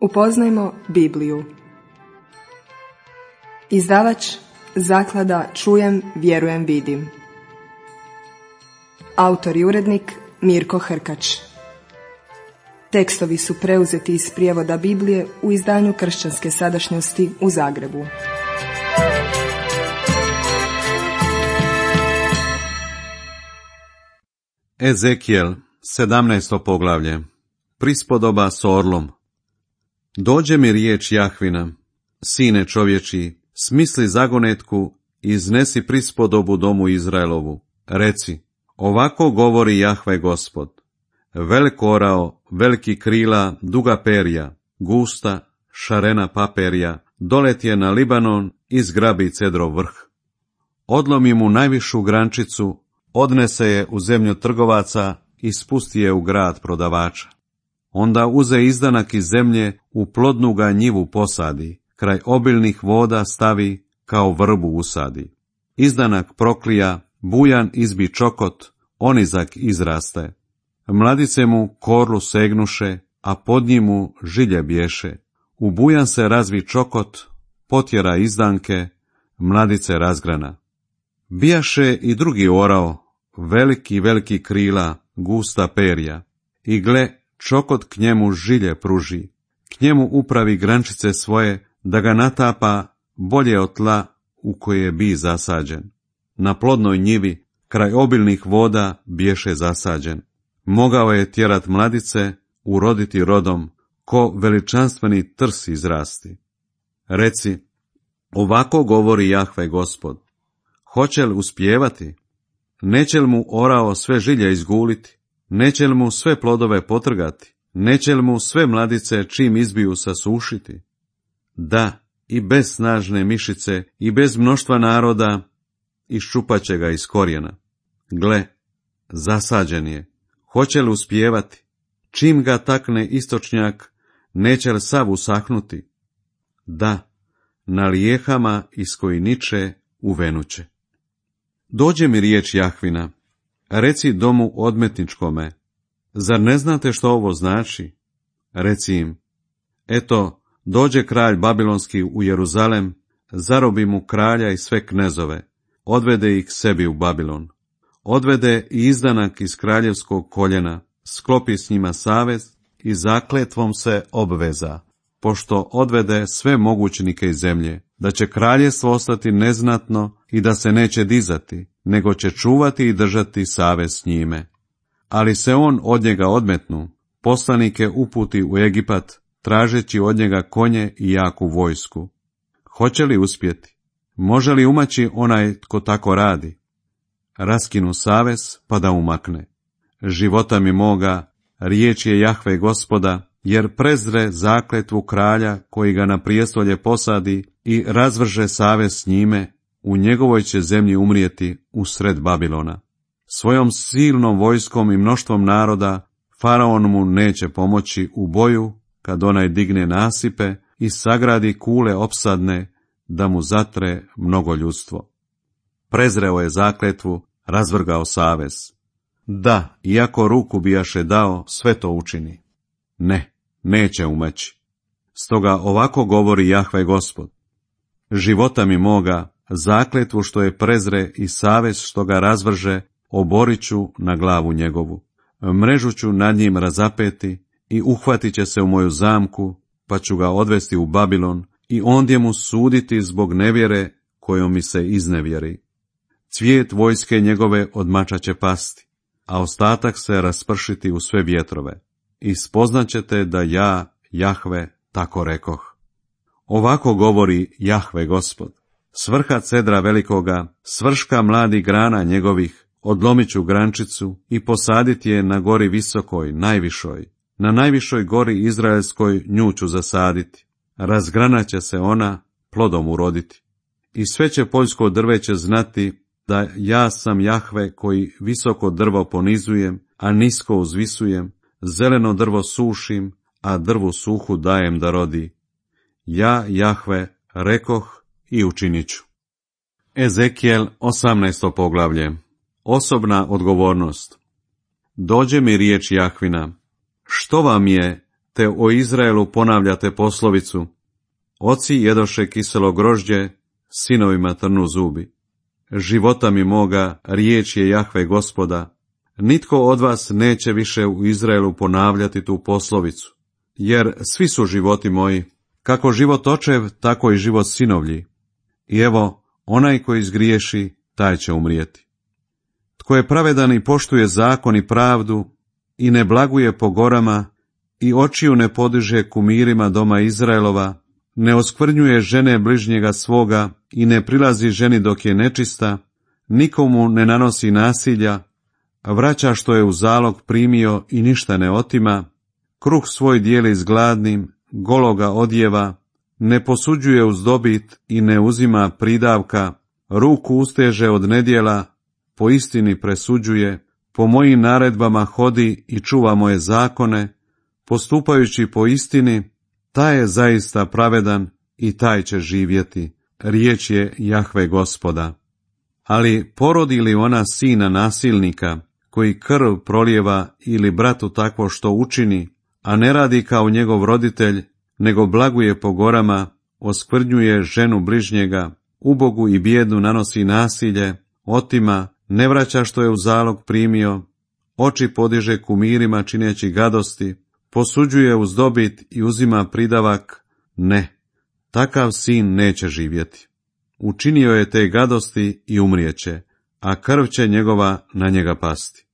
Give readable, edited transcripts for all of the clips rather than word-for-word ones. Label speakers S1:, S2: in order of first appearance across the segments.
S1: Upoznajmo Bibliju. Izdavač Zaklada Čujem, vjerujem, vidim. Autor i urednik Mirko Hrkač. Tekstovi su preuzeti iz prijevoda Biblije u izdanju Kršćanske sadašnjosti u Zagrebu.
S2: Ezekijel, 17. poglavlje. Prispodoba s orlom. Dođe mi riječ Jahvina: sine čovječi, smisli zagonetku i iznesi prispodobu domu Izraelovu. Reci, ovako govori Jahve Gospod: velik orao, veliki krila, duga perja, gusta, šarena paperja, dolet je na Libanon i zgrabi cedrov vrh. Odlomi mu najvišu grančicu, odnese je u zemlju trgovaca i spusti je u grad prodavača. Onda uze izdanak iz zemlje, u plodnu ga njivu posadi, kraj obilnih voda stavi, kao vrbu usadi. Izdanak proklija, bujan izbi čokot, onizak izraste. Mladice mu korlu segnuše, a pod njimu žilje bješe. U bujan se razvi čokot, potjera izdanke, mladice razgrana. Bijaše i drugi orao, veliki krila, gusta perja. I gle, čokot k njemu žilje pruži, k njemu upravi grančice svoje, da ga natapa bolje od tla u koje bi zasađen. Na plodnoj njivi, kraj obilnih voda, bješe zasađen. Mogao je tjerat mladice, uroditi rodom, ko veličanstveni trs izrasti. Reci, ovako govori Jahve Gospod: hoće li uspijevati? Neće li mu orao sve žilje izguliti? Neće li mu sve plodove potrgati? Neće li mu sve mladice čim izbiju sasušiti? Da, i bez snažne mišice i bez mnoštva naroda iščupat će ga iz korijena. Gle, zasađen je. Hoće li uspijevati? Čim ga takne istočnjak, neće li sav usahnuti? Da, na lijehama iz koji niče uvenuće. Dođe mi riječ Jahvina: reci domu odmetničkome, zar ne znate što ovo znači? Reci im, eto, dođe kralj babilonski u Jeruzalem, zarobi mu kralja i sve knezove, odvede ih sebi u Babilon. Odvede i izdanak iz kraljevskog koljena, sklopi s njima savez i zakletvom se obveza, pošto odvede sve mogućnike iz zemlje, da će kraljevstvo ostati neznatno i da se neće dizati, nego će čuvati i držati savez s njime. Ali se on od njega odmetnu, poslanike uputi u Egipat, tražeći od njega konje i jaku vojsku. Hoće li uspjeti? Može li umaći onaj tko tako radi? Raskinu savez pa da umakne. Života mi moga, riječ je Jahve Gospoda, jer prezre zakletvu kralja koji ga na prijestolje posadi i razvrže savez s njime, u njegovoj će zemlji umrijeti usred Babilona. Svojom silnom vojskom i mnoštvom naroda faraon mu neće pomoći u boju, kad onaj digne nasipe i sagradi kule opsadne, da mu zatre mnogo ljudstvo. Prezreo je zakletvu, razvrgao savez. Da, iako ruku bijaše dao, sve to učini. Ne, neće umaći. Stoga ovako govori Jahve Gospod: života mi moga, zakletvu što je prezre i savez što ga razvrže, oborit ću na glavu njegovu. Mrežu ću nad njim razapeti i uhvatit će se u moju zamku, pa ću ga odvesti u Babilon i ondje mu suditi zbog nevjere kojom mi se iznevjeri. Cvijet vojske njegove od mača će pasti, a ostatak se raspršiti u sve vjetrove. I spoznaćete da ja, Jahve, tako rekoh. Ovako govori Jahve Gospod: s vrha cedra velikoga, s vrška mladih grana njegovih, odlomit ću grančicu i posaditi je na gori visokoj, najvišoj. Na najvišoj gori izraelskoj nju ću zasaditi. Razgranat će se ona, plodom uroditi. I sve će poljsko drveće znati da ja sam Jahve koji visoko drvo ponizujem, a nisko uzvisujem, zeleno drvo sušim, a drvu suhu dajem da rodi. Ja, Jahve, rekoh i učinit ću. Ezekijel, 18. poglavlje. Osobna odgovornost. Dođe mi riječ Jahvina: što vam je, te o Izraelu ponavljate poslovicu: oci jedoše kiselo grožđe, sinovima trnu zubi. Života mi moga, riječ je Jahve Gospoda. Nitko od vas neće više u Izraelu ponavljati tu poslovicu, jer svi su životi moji, kako život očev, tako i život sinovlji. I evo, onaj koji zgriješi, taj će umrijeti. Tko je pravedan i poštuje zakon i pravdu, i ne blaguje po gorama, i očiju ne podiže kumirima doma Izraelova, ne oskvrnjuje žene bližnjega svoga i ne prilazi ženi dok je nečista, nikomu ne nanosi nasilja, vraća što je u zalog primio i ništa ne otima, kruh svoj dijeli s gladnim, gologa odjeva, ne posuđuje uz dobit i ne uzima pridavka, ruku usteže od nedjela, po istini presuđuje, po mojim naredbama hodi i čuva moje zakone, postupajući po istini, taj je zaista pravedan i taj će živjeti. Riječ je Jahve Gospoda. Ali porodi li ona sina nasilnika, koji krv prolijeva ili bratu takvo što učini, a ne radi kao njegov roditelj, nego blaguje po gorama, oskvrnjuje ženu bližnjega, ubogu i bijednu nanosi nasilje, otima, ne vraća što je u zalog primio, oči podiže kumirima čineći gadosti, posuđuje uz dobit i uzima pridavak, ne, takav sin neće živjeti. Učinio je te gadosti i umrijeće, a krv će njegova na njega pasti.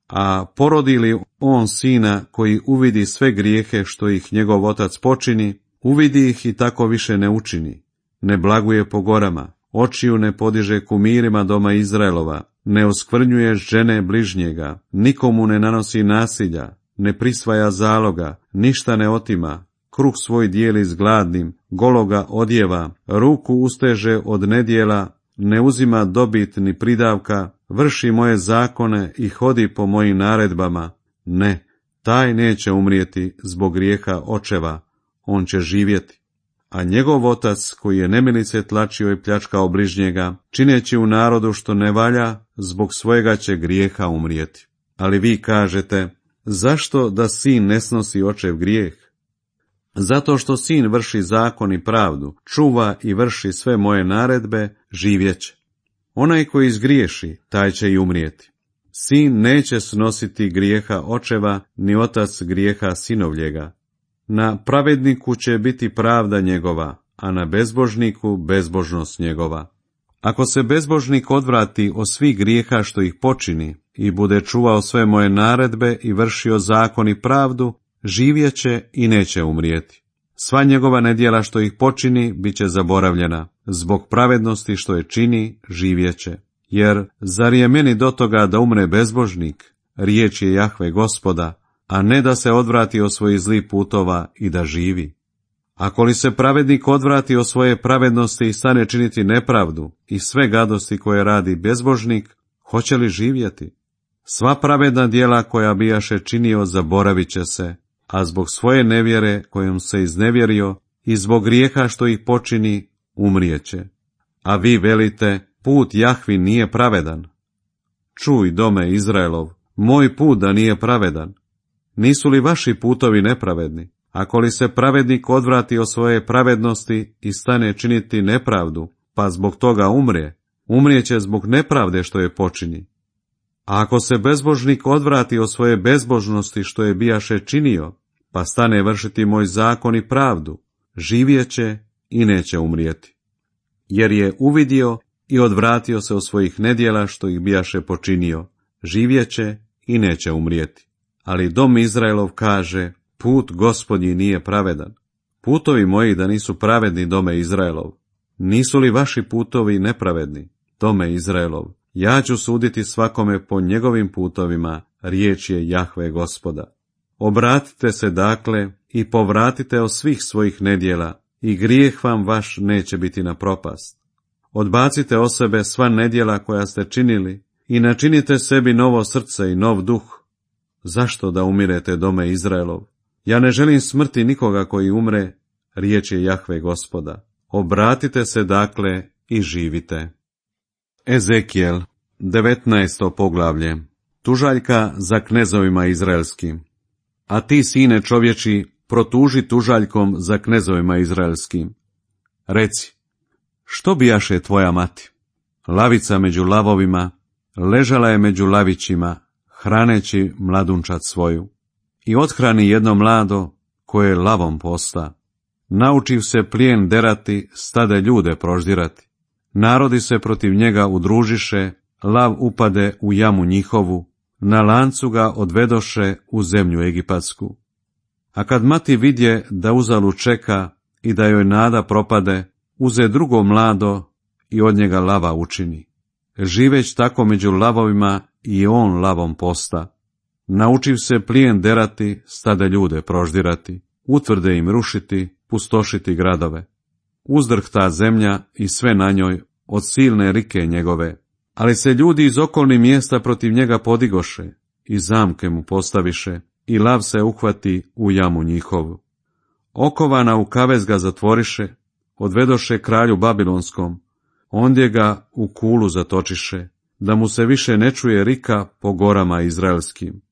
S2: A porodi li on sina koji uvidi sve grijehe što ih njegov otac počini, uvidi ih i tako više ne učini, ne blaguje po gorama, očiju ne podiže kumirima doma Izraelova, ne oskvrnjuje žene bližnjega, nikomu ne nanosi nasilja, ne prisvaja zaloga, ništa ne otima, kruh svoj dijeli s gladnim, gologa odjeva, ruku usteže od nedjela, ne uzima dobit ni pridavka, vrši moje zakone i hodi po mojim naredbama, ne, taj neće umrijeti zbog grijeha očeva, on će živjeti. A njegov otac, koji je nemilice tlačio i pljačkao bližnjega, čineći u narodu što ne valja, zbog svojega će grijeha umrijeti. Ali vi kažete, zašto da sin ne snosi očev grijeh? Zato što sin vrši zakon i pravdu, čuva i vrši sve moje naredbe, živjeće. Onaj koji zgriješi, taj će i umrijeti. Sin neće snositi grijeha očeva, ni otac grijeha sinovljega. Na pravedniku će biti pravda njegova, a na bezbožniku bezbožnost njegova. Ako se bezbožnik odvrati od svih grijeha što ih počini i bude čuvao sve moje naredbe i vršio zakon i pravdu, živjeće i neće umrijeti. Sva njegova nedjela što ih počini bit će zaboravljena, zbog pravednosti što je čini živjeće. Jer zar je meni do toga da umre bezbožnik, riječ je Jahve Gospoda, a ne da se odvrati od svojih zlih putova i da živi. Ako li se pravednik odvrati od svoje pravednosti i stane činiti nepravdu i sve gadosti koje radi bezbožnik, hoće li živjeti? Sva pravedna djela koja bijaše činio zaboravit će se, a zbog svoje nevjere kojom se iznevjerio i zbog grijeha što ih počini umrijeće. A vi velite, put Jahvi nije pravedan. Čuj, dome Izraelov, moj put da nije pravedan. Nisu li vaši putovi nepravedni? Ako li se pravednik odvrati od svoje pravednosti i stane činiti nepravdu, pa zbog toga umrijeće zbog nepravde što je počini. A ako se bezbožnik odvrati od svoje bezbožnosti što je bijaše činio, pa stane vršiti moj zakon i pravdu, živjeće i neće umrijeti. Jer je uvidio i odvratio se od svojih nedjela što ih bijaše počinio, živjeće i neće umrijeti. Ali dom Izraelov kaže, put Gospodnji nije pravedan. Putovi moji da nisu pravedni, dome Izraelov. Nisu li vaši putovi nepravedni, dome Izraelov? Ja ću suditi svakome po njegovim putovima, riječ je Jahve Gospoda. Obratite se dakle i povratite od svih svojih nedjela i grijeh vam vaš neće biti na propast. Odbacite od sebe sva nedjela koja ste činili i načinite sebi novo srce i nov duh. Zašto da umirete, dome Izraelov? Ja ne želim smrti nikoga koji umre, riječ je Jahve Gospoda. Obratite se dakle i živite. Ezekijel, 19. poglavlje. Tužaljka za knezovima izraelskim. A ti, sine čovječi, protuži tužaljkom za knezovima izraelskim. Reci, što bijaše tvoja mati? Lavica među lavovima, ležala je među lavićima, hraneći mladunčad svoju. I othrani jedno mlado, koje lavom posta. Naučiv se plijen derati, stade ljude proždirati. Narodi se protiv njega udružiše, lav upade u jamu njihovu, na lancu ga odvedoše u zemlju egipatsku. A kad mati vidje da uzalu čeka i da joj nada propade, uze drugo mlado i od njega lava učini. Živeć tako među lavovima i on lavom posta. Naučiv se plijen derati, stade ljude proždirati, utvrde im rušiti, pustošiti gradove. Uzdrhta zemlja i sve na njoj od silne rike njegove, ali se ljudi iz okolnih mjesta protiv njega podigoše i zamke mu postaviše i lav se uhvati u jamu njihovu. Okovana u kavez ga zatvoriše, odvedoše kralju Babilonskom, ondje ga u kulu zatočiše, da mu se više ne čuje rika po gorama izraelskim.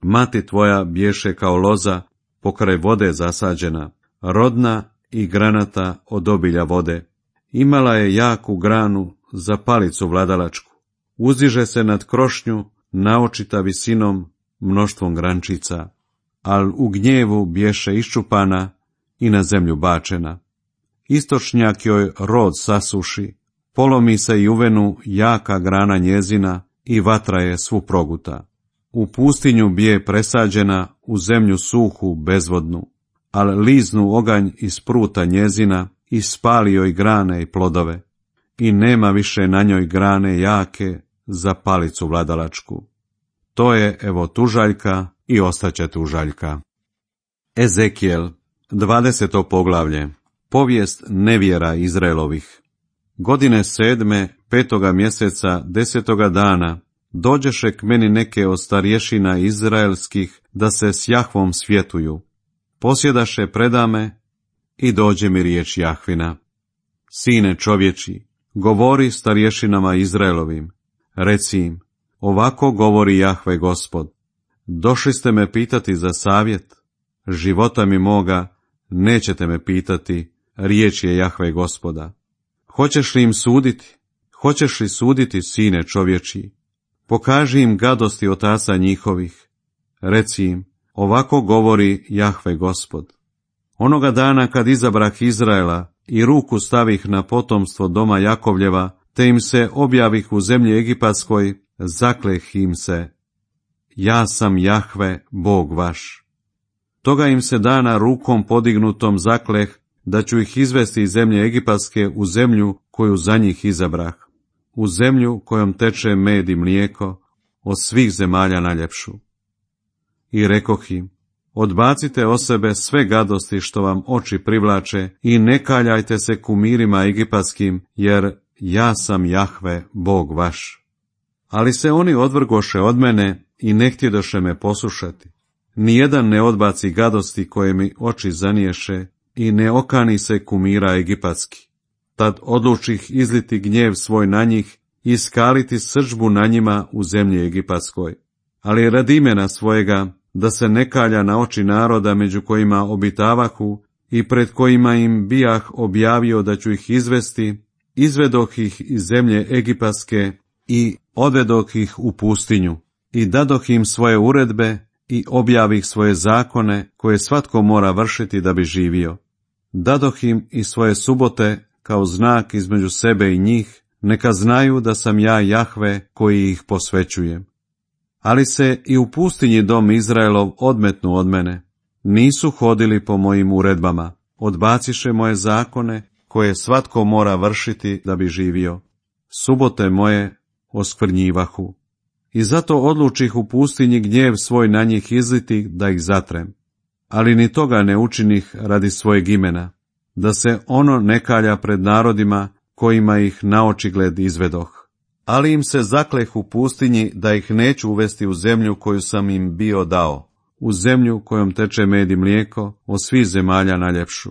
S2: Mati tvoja bješe kao loza, pokraj vode zasađena, rodna i granata od obilja vode. Imala je jaku granu za palicu vladalačku. Uzdiže se nad krošnju, naočita visinom, mnoštvom grančica, al u gnjevu bješe iščupana i na zemlju bačena. Istočnjak joj rod sasuši, polomi se i uvenu jaka grana njezina i vatra je svu proguta. U pustinju bije presađena, u zemlju suhu bezvodnu, al liznu oganj iz pruta njezina i spali joj grane i plodove. I nema više na njoj grane jake za palicu vladalačku. To je evo tužaljka i ostaće tužaljka. Ezekijel, 20. poglavlje. Povijest nevjera Izraelovih. Godine 7. 5. mjeseca 10. dana dođeše k meni neke od starješina izraelskih da se s Jahvom svjetuju. Posjedaše predame i dođe mi riječ Jahvina. Sine čovječi, govori starješinama Izraelovim. Reci im, ovako govori Jahve Gospod. Došli ste me pitati za savjet, života mi moga nećete me pitati, riječ je Jahve Gospoda. Hoćeš li im suditi? Hoćeš li suditi, sine čovječi? Pokaži im gadosti otaca njihovih. Reci im, ovako govori Jahve Gospod. Onoga dana kad izabrah Izraela i ruku stavih na potomstvo doma Jakovljeva, te im se objavih u zemlji Egipatskoj, zakleh im se. Ja sam Jahve, Bog vaš. Toga im se dana rukom podignutom zakleh, da ću ih izvesti iz zemlje Egipatske u zemlju koju za njih izabrah, u zemlju kojom teče med i mlijeko, od svih zemalja najljepšu. I rekoh im, odbacite o sebe sve gadosti što vam oči privlače i ne kaljajte se kumirima egipatskim, jer ja sam Jahve, Bog vaš. Ali se oni odvrgoše od mene i ne htjedoše me poslušati. Nijedan ne odbaci gadosti koje mi oči zaniješe i ne okani se kumira egipatski. Tad odlučih izliti gnjev svoj na njih i skaliti srdžbu na njima u zemlji egipatskoj. Ali radi imena svojega, da se ne kalja na oči naroda među kojima obitavahu i pred kojima im bijah objavio da ću ih izvesti, izvedoh ih iz zemlje egipatske i odvedoh ih u pustinju i dadoh im svoje uredbe i objavih svoje zakone koje svatko mora vršiti da bi živio. Dadoh im i svoje subote kao znak između sebe i njih, neka znaju da sam ja Jahve koji ih posvećujem. Ali se i u pustinji dom Izraelov odmetnu od mene. Nisu hodili po mojim uredbama, odbaciše moje zakone koje svatko mora vršiti da bi živio. Subote moje oskvrnjivahu. I zato odlučih u pustinji gnjev svoj na njih izliti da ih zatrem. Ali ni toga ne učinih radi svojeg imena, da se ono ne kalja pred narodima kojima ih naočigled izvedoh. Ali im se zakleh u pustinji da ih neću uvesti u zemlju koju sam im bio dao, u zemlju kojom teče med i mlijeko, od svih zemalja najljepšu.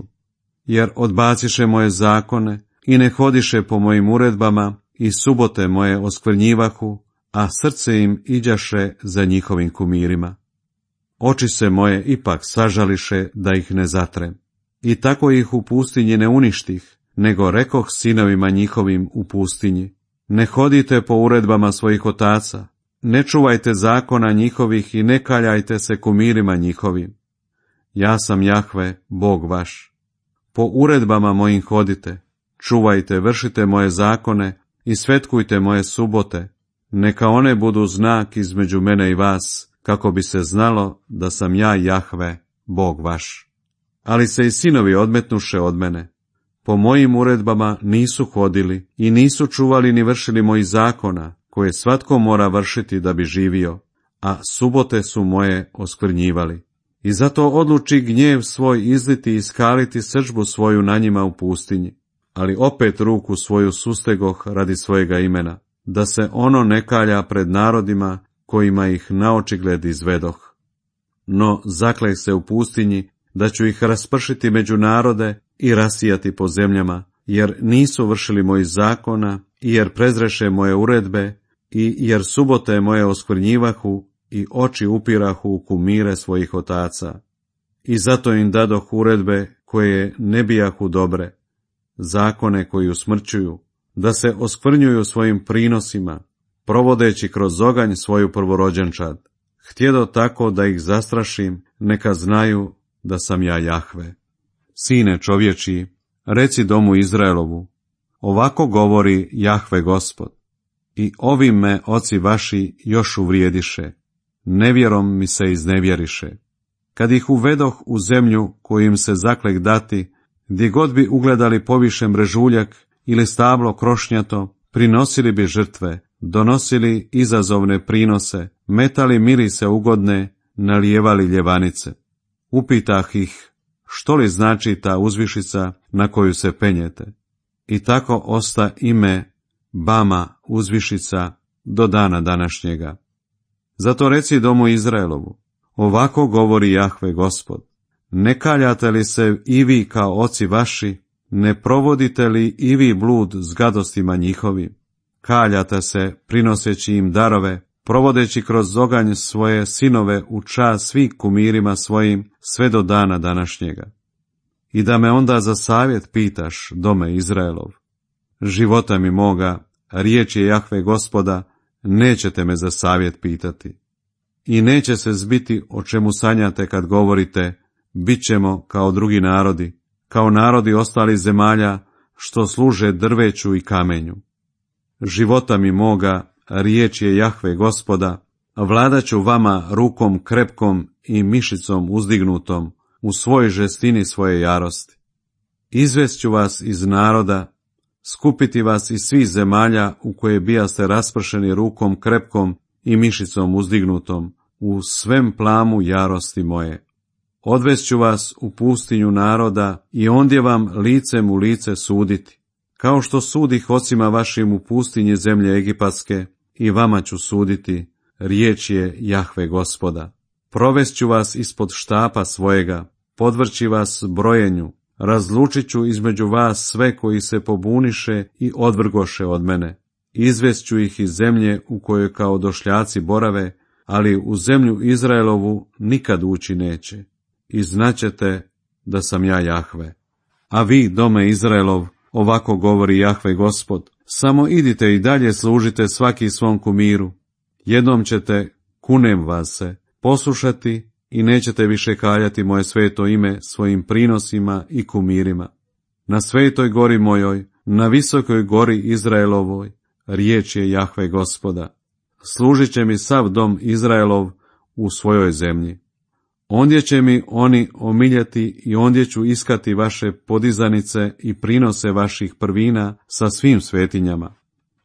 S2: Jer odbaciše moje zakone i ne hodiše po mojim uredbama i subote moje oskvrnjivahu, a srce im iđaše za njihovim kumirima. Oči se moje ipak sažališe da ih ne zatrem. I tako ih u pustinji ne uništih, nego rekoh sinovima njihovim u pustinji: ne hodite po uredbama svojih otaca, ne čuvajte zakona njihovih i ne kaljajte se kumirima njihovim. Ja sam Jahve, Bog vaš. Po uredbama mojim hodite, čuvajte, vršite moje zakone i svetkujte moje subote, neka one budu znak između mene i vas, kako bi se znalo da sam ja Jahve, Bog vaš. Ali se i sinovi odmetnuše od mene. Po mojim uredbama nisu hodili i nisu čuvali ni vršili mojih zakona, koje svatko mora vršiti da bi živio, a subote su moje oskvrnjivali. I zato odluči gnjev svoj izliti i iskaliti srdžbu svoju na njima u pustinji, ali opet ruku svoju sustegoh radi svojega imena, da se ono ne kalja pred narodima kojima ih naočigled izvedoh. No zakleh se u pustinji da ću ih raspršiti među narode i rasijati po zemljama, jer nisu vršili mojih zakona, i jer prezreše moje uredbe, i jer subote moje oskvrnjivahu i oči upirahu u kumire svojih otaca. I zato im dadoh uredbe koje ne bijahu dobre, zakone koji usmrćuju, da se oskvrnjuju svojim prinosima, provodeći kroz oganj svoju prvorođenčad. Htjedo tako da ih zastrašim, neka znaju da sam ja Jahve. Sine čovječiji, reci domu Izraelovu: ovako govori Jahve Gospod. I ovim me oci vaši još uvrijediše, nevjerom mi se iznevjeriše. Kad ih uvedoh u zemlju koju im se zaklek dati, gdje god bi ugledali povišen brežuljak ili stablo krošnjato, prinosili bi žrtve, donosili izazovne prinose, metali mirise ugodne, nalijevali ljevanice. Upitah ih: što li znači ta uzvišica na koju se penjete? I tako osta ime Bama uzvišica do dana današnjega. Zato reci domu Izraelovu: ovako govori Jahve Gospod: ne kaljate li se i vi kao oci vaši, ne provodite li i vi blud s gadostima njihovim? Kaljate se prinoseći im darove, provodeći kroz oganj svoje sinove u čast svih kumirima svojim sve do dana današnjega. I da me onda za savjet pitaš, dome Izraelov: života mi moga, riječ je Jahve Gospoda, nećete me za savjet pitati. I neće se zbiti o čemu sanjate kad govorite: bit ćemo kao drugi narodi, kao narodi ostalih zemalja, što služe drveću i kamenju. Života mi moga, riječ je Jahve Gospoda, vladat ću vama rukom krepkom i mišicom uzdignutom, u svojoj žestini svoje jarosti. Izvest ću vas iz naroda, skupiti vas iz svih zemalja u koje bijaste raspršeni rukom krepkom i mišicom uzdignutom, u svem plamu jarosti moje. Odvest ću vas u pustinju naroda i ondje vam licem u lice suditi, kao što sudih ocima vašim u pustinji zemlje egipatske, i vama ću suditi, riječ je Jahve Gospoda. Provest ću vas ispod štapa svojega, podvrći vas brojenju, razlučit ću između vas sve koji se pobuniše i odvrgoše od mene. Izvest ću ih iz zemlje u kojoj kao došljaci borave, ali u zemlju Izraelovu nikad ući neće. I znaćete da sam ja Jahve. A vi, dome Izraelov, ovako govori Jahve Gospod: samo idite i dalje služite svaki svom kumiru. Jednom ćete, kunem vas se, poslušati i nećete više kaljati moje sveto ime svojim prinosima i kumirima. Na svetoj gori mojoj, na visokoj gori Izraelovoj, riječ je Jahve Gospoda. Služit će mi sav dom Izraelov u svojoj zemlji. Ondje će mi oni omiljeti i ondje ću iskati vaše podizanice i prinose vaših prvina sa svim svetinjama.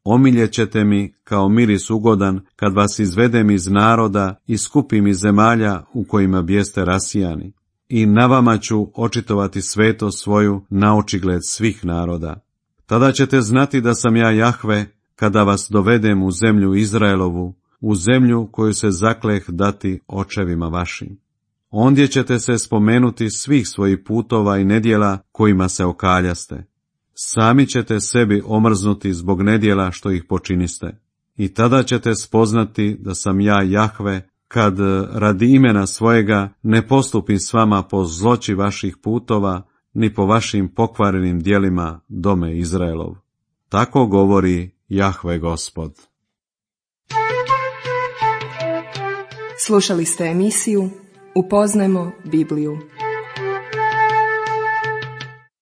S2: Omiljet ćete mi kao miris ugodan kad vas izvedem iz naroda i skupim iz zemalja u kojima bijeste rasijani. I na vama ću očitovati sveto svoju na očigled svih naroda. Tada ćete znati da sam ja Jahve kada vas dovedem u zemlju Izraelovu, u zemlju koju se zakleh dati očevima vašim. Ondje ćete se spomenuti svih svojih putova i nedjela kojima se okaljaste. Sami ćete sebi omrznuti zbog nedjela što ih počiniste. I tada ćete spoznati da sam ja Jahve kad radi imena svojega ne postupim s vama po zloći vaših putova, ni po vašim pokvarenim djelima, dome Izraelov. Tako govori Jahve Gospod.
S1: Slušali ste emisiju Upoznajmo Bibliju.